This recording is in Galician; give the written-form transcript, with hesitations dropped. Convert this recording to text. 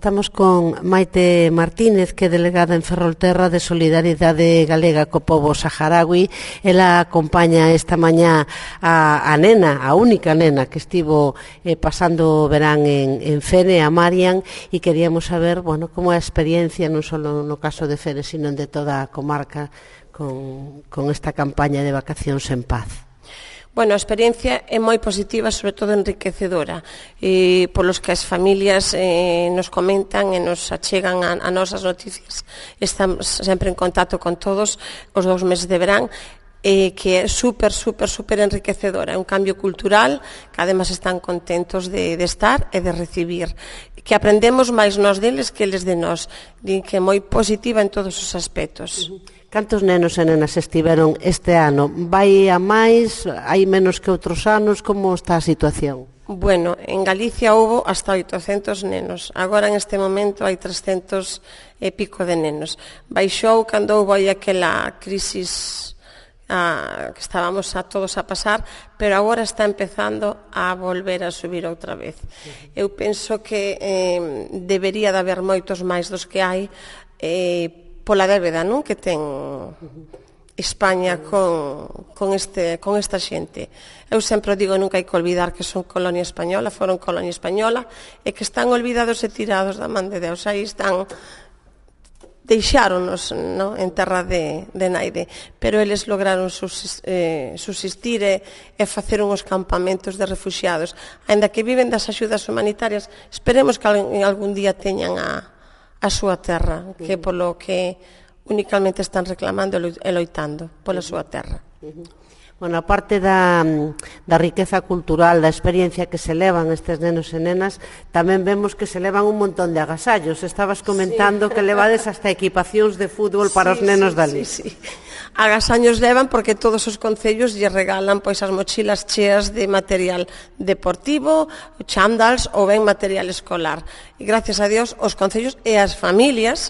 Estamos con Maite Martínez, que é delegada en Ferrolterra de Solidariedade Galega co pobo saharaui. Ela acompaña esta mañá a nena, a única nena que estivo pasando o verán en Fene, a Marian, e queríamos saber, bueno, como é a experiencia non só no caso de Fene, sino de toda a comarca con esta campaña de vacacións en paz. Bueno, a experiencia é moi positiva, sobre todo enriquecedora, polos que as familias nos comentan e nos achegan a nosas noticias. Estamos sempre en contacto con todos os 2 meses de verán, que é super enriquecedora. É un cambio cultural que además están contentos de estar e de recibir, que aprendemos máis nós deles que eles de nós, que é moi positiva en todos os aspectos. Cantos nenos e nenas estiveron este ano? Vai a máis? Hai menos que outros anos? Como está a situación? Bueno, en Galicia houbo hasta 800 nenos. Agora, en este momento, hai 300 e pico de nenos. Baixou cando houbo aí aquela crisis que estábamos todos a pasar, pero agora está empezando a volver a subir outra vez. Eu penso que debería de haber moitos máis dos que hai, pola débeda, non, que ten España con esta xente. Eu sempre digo, nunca hai que olvidar que son colonia española, foron colonia española, e que están olvidados e tirados da man de Deus. Aí están, deixáronos, no, en terra de naide, pero eles lograron subsistir e facer uns campamentos de refuxiados. Aínda que viven das axudas humanitarias, esperemos que algún día teñan a súa terra, que polo que únicamente están reclamando e loitando pola súa terra. Bueno, a parte da riqueza cultural, da experiencia que se levan estes nenos e nenas, tamén vemos que se levan un montón de agasallos. Estabas comentando que levades hasta equipacións de fútbol para os nenos dali. Sí. Agasaños levan porque todos os concellos lle regalan pois as mochilas cheas de material deportivo, chándals ou ben material escolar. E gracias a Dios os concellos e as familias